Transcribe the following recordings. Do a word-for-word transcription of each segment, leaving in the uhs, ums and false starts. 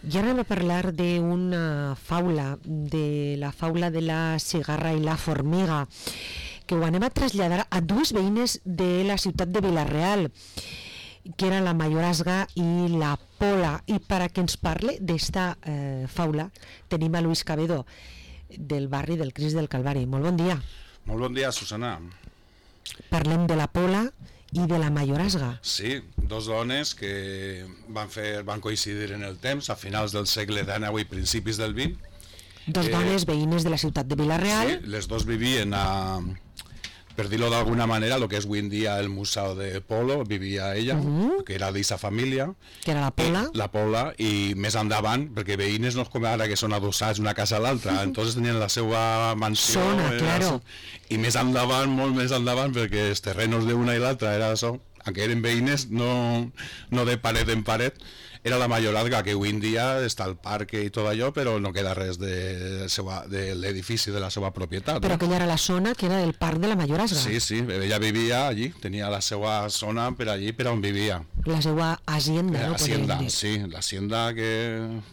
I ara anem a parlar d'una faula, de la faula de la cigarra i la formiga, que ho anem a traslladar a dues veïnes de la ciutat de Vila-real, que era la Mayorazga i la Pola. I per a que ens parle d'esta eh, faula tenim a Luis Cabedo, del barri del Crist del Calvari. Molt bon dia. Molt bon dia, Susana. Parlem de la Pola i de la Mayorazga. Sí, dos dones que van, fer, van coincidir en el temps, a finals del segle dinou i principis del vint. Dos eh, dones veïnes de la ciutat de Vila-real. Sí, les dos vivien a... per dir-ho d'alguna manera, el que és avui en dia el Museu de Polo, vivia ella, uh-huh. que era d'aquesta família. Que era la Pola. I, la Pola, i més endavant, perquè veïnes no és com ara que són adossats una casa a l'altra, uh-huh. entonces tenien la seva mansió. Zona, claro. I més endavant, molt més endavant, perquè els terrenos d'una i l'altra era això, aunque eren veïnes, no, no de paret en paret, era la Mayorazga, que avui en dia està al parc i tot allò, però no queda res de, seva, de l'edifici de la seva propietat. Però no? aquella era la zona que era del parc de la Mayorazga. Sí, sí, ella vivia allí, tenia la seva zona per allí, per on vivia. La seva hacienda, la no? Hacienda, sí, l'hacienda que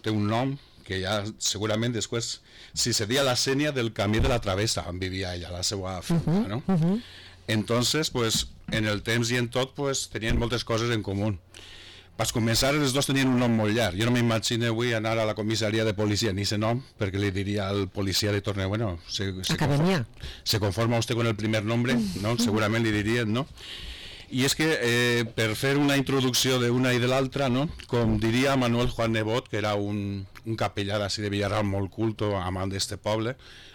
té un nom, que ja segurament després, si seria la sènia del camí de la Travessa, on vivia ella, la seva finca, uh-huh, no? Uh-huh. Entonces, pues, en el temps i en tot, pues, tenien moltes coses en comú. Per començar, els dos tenien un nom molt llarg. Jo no m'imagino avui anar a la comissaria de policia ni ese nom, perquè li diria al policia de torne, bueno, se, se, Academia. Conforma, se conforma usted con el primer nombre, no? Segurament li dirien, no? I és que eh, per fer una introducció d'una i de l'altra, no? Com diria Manuel Juan Nebot, que era un, un capellà d'ací de Villarreal molt culto, amant d'este poble,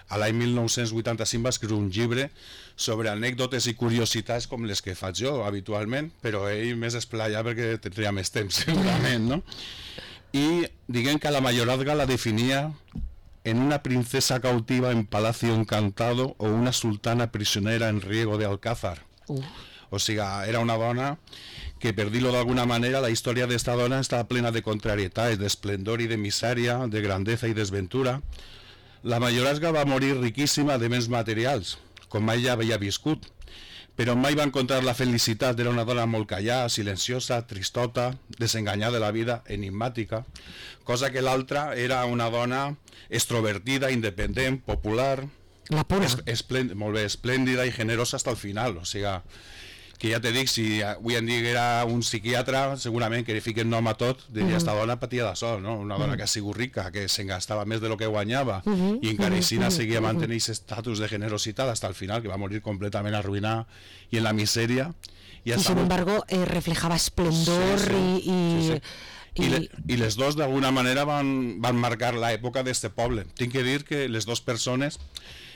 a l'any mil nou-cents vuitanta-cinc va escriure un llibre sobre anècdotes i curiositats com les que faig jo habitualment, però ell més esplaià perquè tindria més temps segurament, no? I diguem que la Mayorazga la definia en una princesa cautiva en Palacio Encantado o una sultana prisionera en Riego de Alcázar. Uh. O sigui, era una dona que, per dir-ho d'alguna manera, la història d'esta dona està plena de contrarietats, d'esplendor i de misèria, de grandesa i desventura. La Mayorazga va morir riquíssima de béns materials, com mai ja havia viscut, però mai va encontrar la felicitat. Era una dona molt callada, silenciosa, tristota, desenganyada de la vida, enigmàtica, cosa que l'altra era una dona extrovertida, independent, popular, la Pola. Es, molt bé, esplèndida i generosa fins al final, o sigui, que ja te dic, si avui en dia era un psiquiatre, segurament que li fiquen nom a tot, diria, esta dona patia de sol, no? Una dona que ha sigut rica, que se'n gastava més de lo que guanyava, uh-huh, i encara així uh-huh, seguia mantenint aquest estatus de generositat fins al final, que va morir completament arruïnada i en la misèria. I, i sin embargo, eh, reflejava esplendor, sí, sí, i... i... Sí, sí. I, I, le, I les dos d'alguna manera van, van marcar l'època d'este poble. Tinc que dir que les dues persones,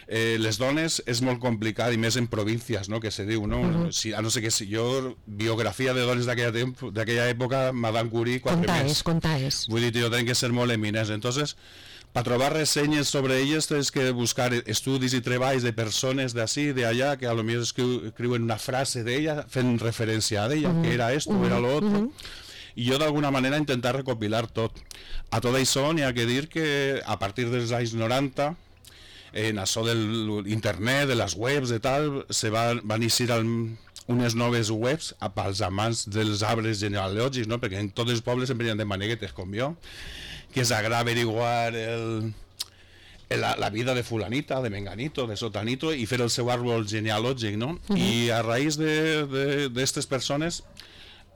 eh, les dones és molt complicat, i més en províncies, no?, que se diu, no? Uh-huh. Si, a no sé què, si jo, biografia de dones d'aquella època, Madame Curie, quatre conta més. És, conta és. Vull dir, jo tenen que ser molt eminents. Entonces, per trobar ressenyes sobre elles tens que buscar estudis i treballs de persones d'ací, d'allà, que a lo millor escriuen una frase d'ella fent referència a ella, uh-huh, que era esto, uh-huh, era lo otro. Uh-huh. I jo d'alguna manera intentar recopilar tot. A tot això n'hi ha que dir que a partir dels anys noranta, en això de l'internet, de les webs i tal, se va, van iniciar el, unes noves webs pels amants dels arbres genealògics, no? Perquè en tots els pobles sempre hi ha de maneguetes com jo, que s'agrada averiguar el, la, la vida de fulanita, de menganito, de sotanito, i fer el seu àrbol genealògic, no? Uh-huh. I a raïs d'aquestes persones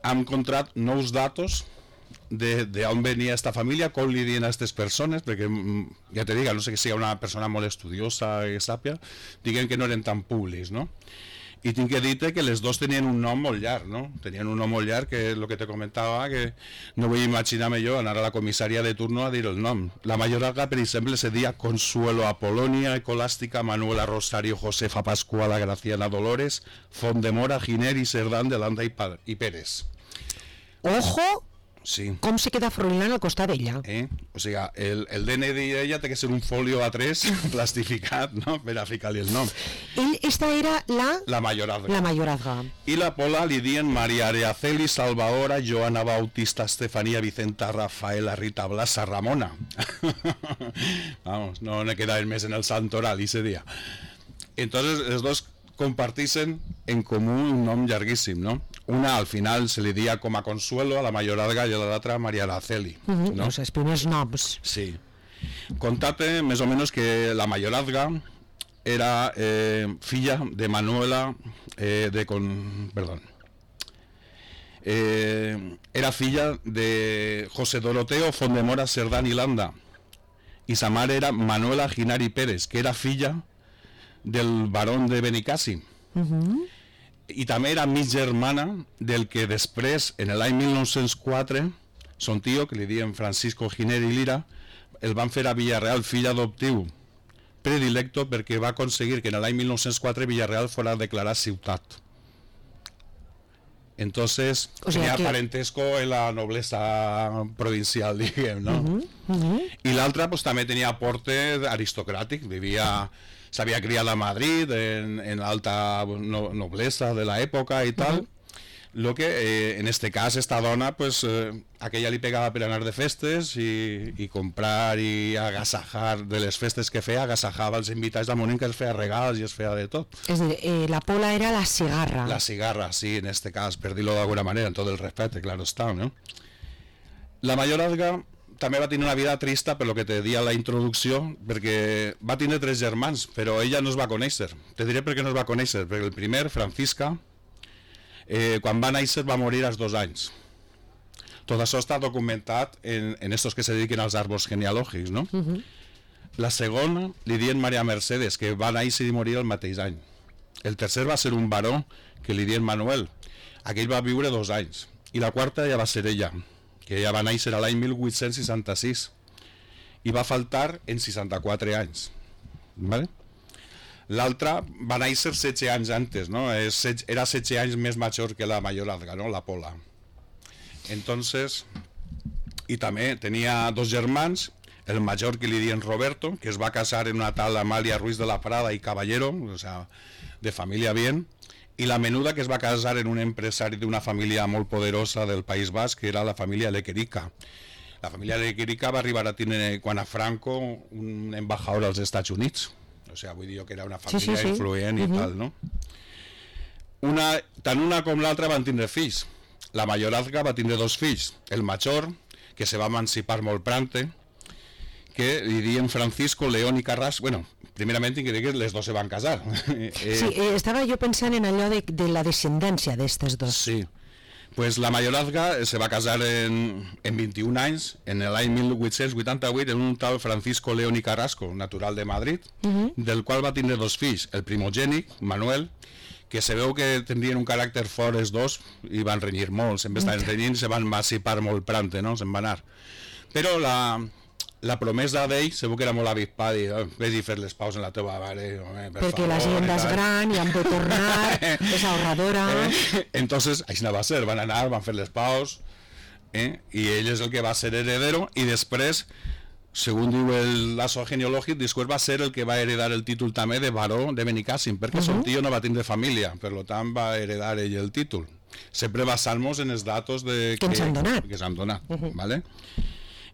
hem encontrat nous datos de, de on venia esta família, com li diuen a aquestes persones, perquè ja te dic, no sé que sigui una persona molt estudiosa i sàpia, diguem que no eren tan públics, no? I tinc que dir-te que les dos tenien un nom molt llarg, no? Tenien un nom molt llarg, que és el que te comentava, que no vull imaginar-me jo anar a la comissària de turno a dir el nom. La Mayorazga, per exemple, se deia Consuelo Apolonia, Escolástica, Manuela Rosario, Josefa Pascuala, Graciana Dolores, Font de Mora, Giner i Cerdán de Landa i, i Pérez. Ojo! Sí. Com se queda Froilán al costat d'ella? Eh? O sigui, el, el D N I d'ella té que ser un folio A tres plastificat, no?, per a ficar-li el nom. Ell, esta era la... La Mayorazga. La Mayorazga. I la Pola li dien Maria Areaceli, Salvadora, Joana Bautista, Estefanía, Vicenta, Rafaela, Rita, Blasa, Ramona. Vamos, no ne queda més en el santoral ese día. Entonces, els dos compartixen en comú un nom llarguíssim, no? una al final se li dia com a Consuelo a la Mayorazga i l'altra Maria Araceli. Uh -huh. ¿no? O sea, els primers noms. Sí. Contate més o menos que la Mayorazga era eh, filla de Manuela eh, de con perdón eh, era filla de José Doroteo Fondemora Cerdán y Landa, y sa mare era Manuela Ginari Pérez, que era filla del barón de Benicàssim. Uh -huh. I també era mig germana del que després, en l'any mil nou-cents quatre, son tio, que li diuen Francisco Giner i Lira, el van fer a Villarreal fill adoptiu predilecto perquè va aconseguir que en l'any mil nou-cents quatre Villarreal fora declarat ciutat. Entonces, o sea tenía que... parentesco en la nobleza provincial, diguem, no? Uh -huh, uh -huh. I l'altra pues, també tenia aporte aristocràtic, vivia, s'havia criat a Madrid, en, en alta no, noblesa de l'època i tal. Uh -huh. Lo que eh, en este cas esta dona pues eh, aquella li pegava per anar de festes i, i comprar i agasajar de les festes que feia, agasajava els invitats al moment que es feia regals i es feia de tot. És a dir, eh, la Pola era la cigarra. La cigarra, sí, en este cas, per dir-lo d'alguna manera, en tot el respecte, claro està, no? La Mayorazga també va tenir una vida trista per lo que te dia la introducció, perquè va tenir tres germans, però ella no es va conèixer. Te diré per què no es va conèixer, perquè el primer, Francisca, Eh, quan va néixer va morir als dos anys. Tot això està documentat en, en estos que se dediquen als arbres genealògics, no? Uh -huh. La segona li diuen Maria Mercedes, que va néixer i morir el mateix any. El tercer va ser un baró, que li diuen Manuel. Aquell va viure dos anys. I la quarta ja va ser ella, que ja va néixer a l'any mil vuit-cents seixanta-sis i va faltar en seixanta-quatre anys. Vale? L'altra va néixer setze anys antes, no? Era setze anys més major que la Mayorazga, no? La Pola. Entonces, i també tenia dos germans, el major que li diuen Roberto, que es va casar en una tal Amalia Ruiz de la Prada i Caballero, o sea, de família bien, i la menuda, que es va casar en un empresari d'una família molt poderosa del País Basc, que era la família Lequerica. La família Lequerica va arribar a tenir, quan a Franco, un embajador als Estats Units. O sea, vull dir que era una família sí, sí, sí. influent i uh -huh. tal, no? Una, tant una com l'altra van tindre fills. La Mayorazga va tindre dos fills. El major, que se va emancipar molt prante, que li diuen Francisco, León i Carrasco. Bueno, primerament tinc que dir que les dos se van casar. eh, sí, eh, estava jo pensant en allò de, de la descendència d'estes dos. Sí. Pues la Mayorazga se va casar en, en vint-i-un anys, en l'any mil vuit-cents vuitanta-vuit, en un tal Francisco León i Carrasco, natural de Madrid, uh -huh. del qual va tindre dos fills, el primogènic, Manuel, que se veu que tindrien un caràcter fort els dos i van renyir molt, sempre estaven renyint, se van emancipar molt prante, no? Se'n va anar. Però la, la promesa d'ell se veu que era molt avispada i oh, vés i fer les paus en la teva mare, home, per perquè favor, la gent és gran i han de tornar, és ahorradora. Eh? Entonces, així no va ser, van anar, van fer les paus, eh? I ell és el que va ser heredero, i després, segons diu el lazo genealògic, després va ser el que va heredar el títol també de baró de Benicàssim, perquè uh -huh. son tio no va tindre família, per tant va heredar ell el títol. Sempre basant-nos en els datos de que, que ens han donat. Que s'han donat, uh -huh. ¿vale?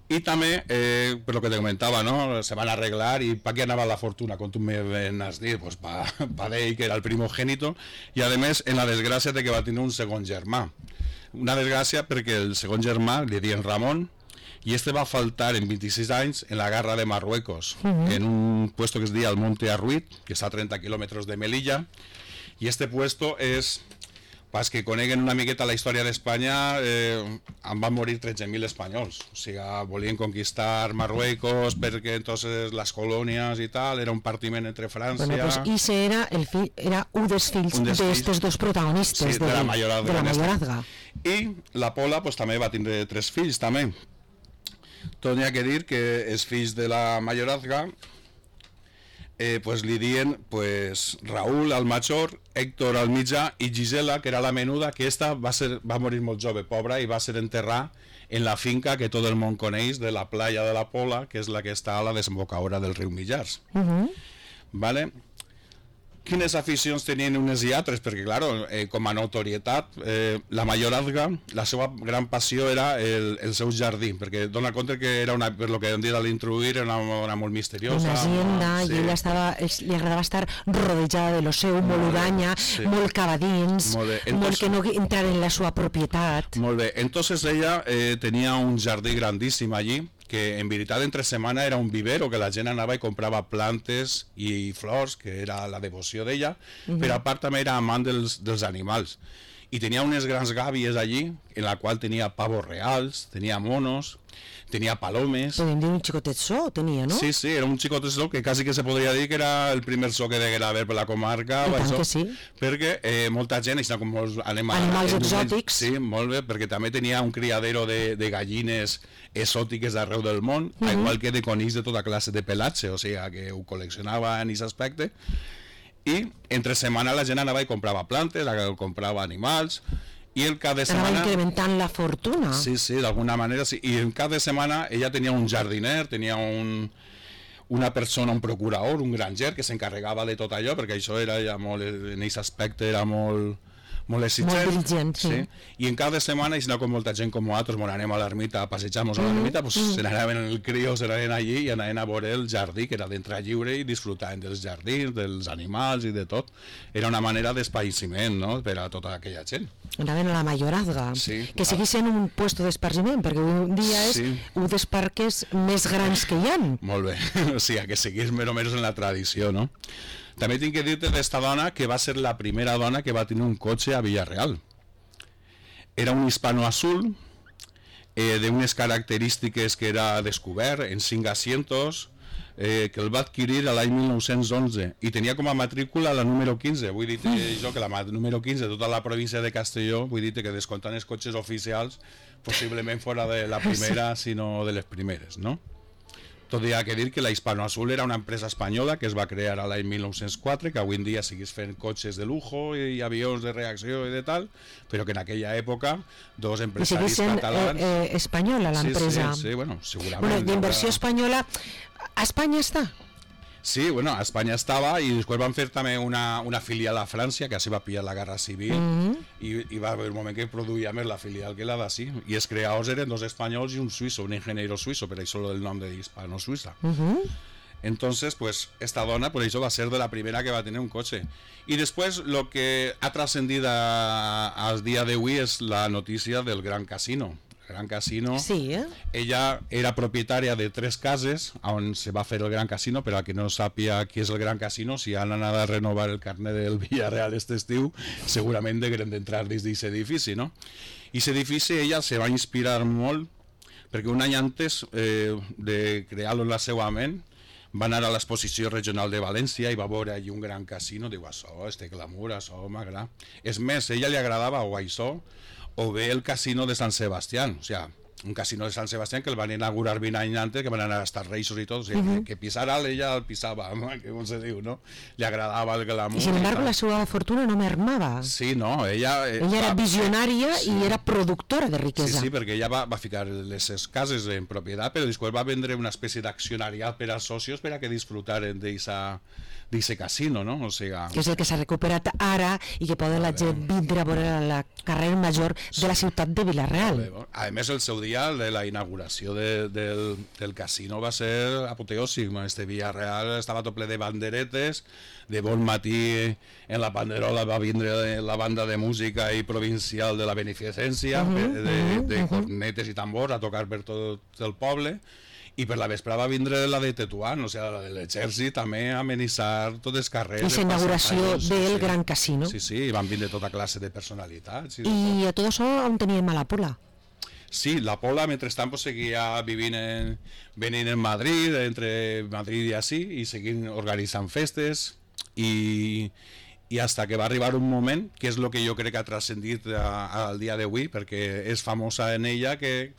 I també, eh, per lo que te comentava, ¿no? Se van a arreglar i pa què anava la fortuna, com tu me has dit, pues pa, pa d'ell, que era el primogènito, i a més en la desgràcia de que va tenir un segon germà. Una desgràcia perquè el segon germà li diuen Ramon, i este va faltar en vint-i-sis anys en la guerra de Marruecos, uh -huh. en un puesto que es diu el Monte Arruit, que està a trenta quilòmetres de Melilla, i este puesto és... Pas que coneguen una miqueta la història d'Espanya, eh, en van morir tretze mil espanyols. O sigui, volien conquistar Marruecos perquè entonces les colònies i tal, era un partiment entre França... Bueno, pues Ise era, el fill, era un dels fills d'aquests dos protagonistes sí, de, de la Mayorazga. De la Mayorazga. I la Pola pues, també va tindre tres fills, també. Tot hi ha que dir que els fills de la Mayorazga Eh, pues li dien pues, Raúl al major, Héctor al mitjà i Gisela, que era la menuda, que esta va, ser, va morir molt jove, pobra, i va ser enterrada en la finca que tot el món coneix de la playa de la Pola, que és la que està a la desembocadura del riu Millars. Uh -huh. ¿Vale? quines aficions tenien unes i altres, perquè, clar, eh, com a notorietat, eh, la mayorazga, la seva gran passió era el, el seu jardí, perquè dona compte que era una, per lo que hem dit a l'introduir, era una dona molt misteriosa. Una hacienda, sí. I ella estava, li agradava estar rodejada de lo seu, molt uranya, sí. molt cava dins, molt, Entonces, molt que no entrar en la seva propietat. Molt bé, entonces ella eh, tenia un jardí grandíssim allí, que en veritat entre setmana era un vivero, que la gent anava i comprava plantes i flors, que era la devoció d'ella, uh-huh. però a part també era amant dels, dels animals. I tenia unes grans gàbies allí, en la qual tenia pavos reals, tenia monos, tenia palomes. Podem dir un xicotet so, tenia, no? Sí, sí, era un xicotet so, que quasi que se podria dir que era el primer so que deguera haver per la comarca. I tant això, que sí. Perquè eh, molta gent, i com molts animals, animals exòtics. Sí, molt bé, perquè també tenia un criadero de, de gallines exòtiques d'arreu del món, uh-huh. igual que de conills de tota classe de pelatge, o sigui, que ho col·leccionava en aquest aspecte. I entre setmana la gent anava i comprava plantes, comprava animals, i el cap de setmana... Anava incrementant la fortuna. Sí, sí, d'alguna manera sí. I el cap de setmana ella tenia un jardiner, tenia un, una persona, un procurador, un granger, que s'encarregava de tot allò, perquè això era ja molt, en aquest aspecte era molt... molt exigent, molt diligent, sí. sí. I en cada setmana, i si no com molta gent com nosaltres, bon, anem a l'ermita, a passejar-nos a l'ermita, pues, mm. se n'anaven en el crió, se n'anaven allí i anaven a veure el jardí, que era d'entrar lliure i disfrutaven dels jardins, dels animals i de tot. Era una manera d'espaïciment, no?, per a tota aquella gent. Anaven a la mayorazga, sí, que seguís sent un puesto d'esparciment, perquè un dia és sí. un dels parques més grans que hi ha. Molt bé, o sigui, que seguís més o menys en la tradició, no? També tinc que dir-te d'esta dona que va ser la primera dona que va tenir un cotxe a Villarreal. Era un hispano azul, eh, d'unes característiques que era descobert en cinc asientos, eh, que el va adquirir l'any mil nou-cents onze i tenia com a matrícula la número quinze. Vull dir que jo que la número quinze de tota la província de Castelló, vull dir que descomptant els cotxes oficials, possiblement fora de la primera, sinó de les primeres, no? Tot hi ha que dir que la Hispano Azul era una empresa espanyola que es va crear a l'any mil nou-cents quatre, que avui en dia seguís fent cotxes de lujo i avions de reacció i de tal, però que en aquella època dos empresaris sent, catalans... Eh, eh, espanyola l'empresa. Sí, sí, sí, bueno, segurament... Bueno, d'inversió espanyola, a Espanya està? Sí, bueno, a Espanya estava i després van fer també una, una filial a França, que així va pillar la Guerra Civil, mm-hmm. i, i va haver un moment que produïa més la filial que la d'ací, i els creadors eren dos espanyols i un suïsso, un ingeniero suïsso, per això el nom de Hispano-Suïssa. Mm-hmm. Entonces, pues, esta dona, por eso va a ser de la primera que va a tener un coche. Y después, lo que ha trascendido al día de hoy es la noticia del Gran Casino. Gran Casino. Sí, eh? Ella era propietària de tres cases on se va fer el Gran Casino, però a qui no sàpia qui és el Gran Casino, si han anat a renovar el carnet del Villarreal este estiu, segurament degueren d'entrar dins d'aquest edifici, no? I aquest edifici ella se va inspirar molt, perquè un any antes eh, de crear-lo en la seva ment, va anar a l'exposició regional de València i va veure allí un gran casino, diu, això, este glamour, això m'agrada. És més, a ella li agradava o això, o bé el casino de Sant Sebastián, o sea, un casino de Sant Sebastián que el van inaugurar vint anys antes, que van anar a estar reixos i tot, o sigui, uh-huh. que, que pisar alt ella el pisava, que com se diu, no? Li agradava el glamour. I sin embargo la seva fortuna no mermava. Sí, no, ella... Eh, ella era visionària sí. i era productora de riquesa. Sí, sí, perquè ella va, va ficar les cases en propietat, però després va vendre una espècie d'accionariat per als socios per a que disfrutaren d'aquest casino, no? O sigui... Que és el que s'ha recuperat ara i que poden la gent vindre a veure la carrera major de la ciutat de Vilareal. A més, el seu dia de la inauguració de, del, del casino va ser apoteòsic. Este Villarreal estava tot ple de banderetes, de bon matí en la banderola va vindre la banda de música i provincial de la beneficència, uh-huh, de, de, de uh-huh. cornetes i tambors a tocar per tot el poble, i per la vespre va vindre la de Tetuán, o sigui, la de l'exèrcit també a amenitzar tots els carrers. I la inauguració del sí, Gran Casino. Sí, sí, van vindre tota classe de personalitats. I, I a tot això on teníem a la Pola? Sí, la Pola, mentrestant, pues, seguia vivint en, venint en Madrid, entre Madrid i així, i seguint organitzant festes, i, i hasta que va arribar un moment, que és el que jo crec que ha transcendit al dia d'avui, perquè és famosa en ella que,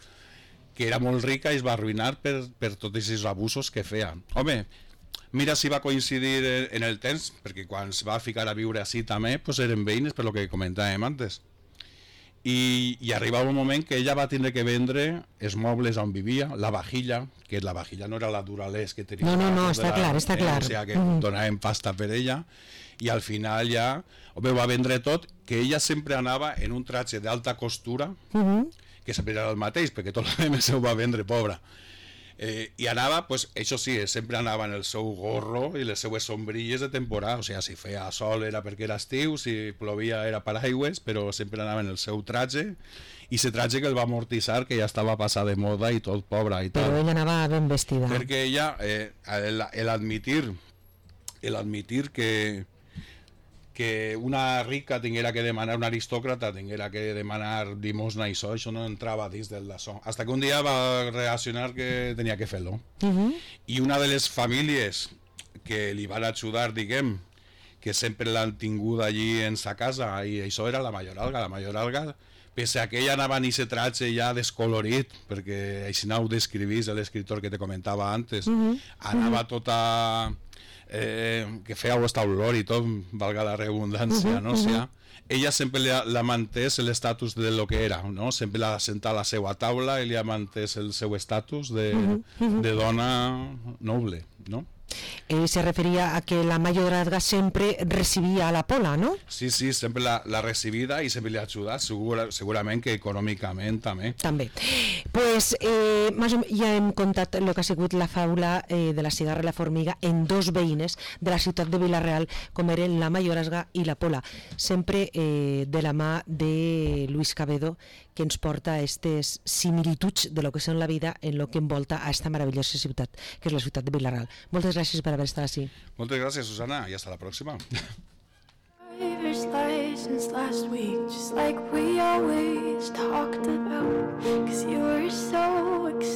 que era molt rica i es va arruïnar per, per tots aquests abusos que feia. Home, mira si va coincidir en el temps, perquè quan es va ficar a viure així també, pues eren veïnes, per lo que comentàvem antes. i, i arribava un moment que ella va tindre que vendre els mobles on vivia, la vajilla, que la vajilla no era la Duralès que tenia. No, no, no, està la, clar, està eh, clar. O sigui que mm. donaven pasta per ella, i al final ja home, va vendre tot, que ella sempre anava en un tratge d'alta costura, Mm -hmm. que sempre era el mateix, perquè tot el més ho va vendre, pobra. Eh, i anava, pues, això sí, sempre anava en el seu gorro i les seues sombrilles de temporada, o sigui, si feia sol era perquè era estiu, si plovia era paraigües, però sempre anava en el seu tratge, i ese tratge que el va amortitzar, que ja estava passat de moda i tot, pobra i tal. Però ella anava ben vestida. Perquè ella, eh, el, el admitir, el admitir que que una rica tinguera que demanar, una aristòcrata tinguera que demanar limosna i això, això no entrava dins del daçó. Hasta que un dia va reaccionar que tenia que fer-lo. Uh -huh. I una de les famílies que li van ajudar, diguem, que sempre l'han tingut allí en sa casa, i això era la Mayoralga. La Mayoralga, pese a que ella anava en aquest tratge ja descolorit, perquè així ho descrivís l'escriptor que te comentava antes, uh -huh. anava tota... Eh, que feia aquesta olor i tot, valga la redundància, uh -huh, no? O sigui, ella sempre l'ha mantès l'estatus de lo que era, no? Sempre l'ha sentat a la seva taula i li ha mantès el seu estatus de, uh -huh. de dona noble, no? Eh, se referia a que la Mayoralga sempre recibia a la Pola, ¿no? Sí, sí, sempre l'ha, l'ha recibida i sempre li ha ajudat, segura, segurament que econòmicament també. També. Pues eh, més o menys ja hem contat el que ha sigut la faula eh, de la cigarra i la formiga en dos veïnes de la ciutat de Vila-real, com eren la Mayoralga i la Pola, sempre eh, de la mà de Luis Cabedo, que ens porta a aquestes similituds de lo que són la vida en lo que envolta a esta meravellosa ciutat, que és la ciutat de Vila-real. Moltes gràcies per haver estat així. Moltes gràcies, Susana, i hasta la pròxima. Driver's license last week, just like we always talked about, 'cause you were so excited.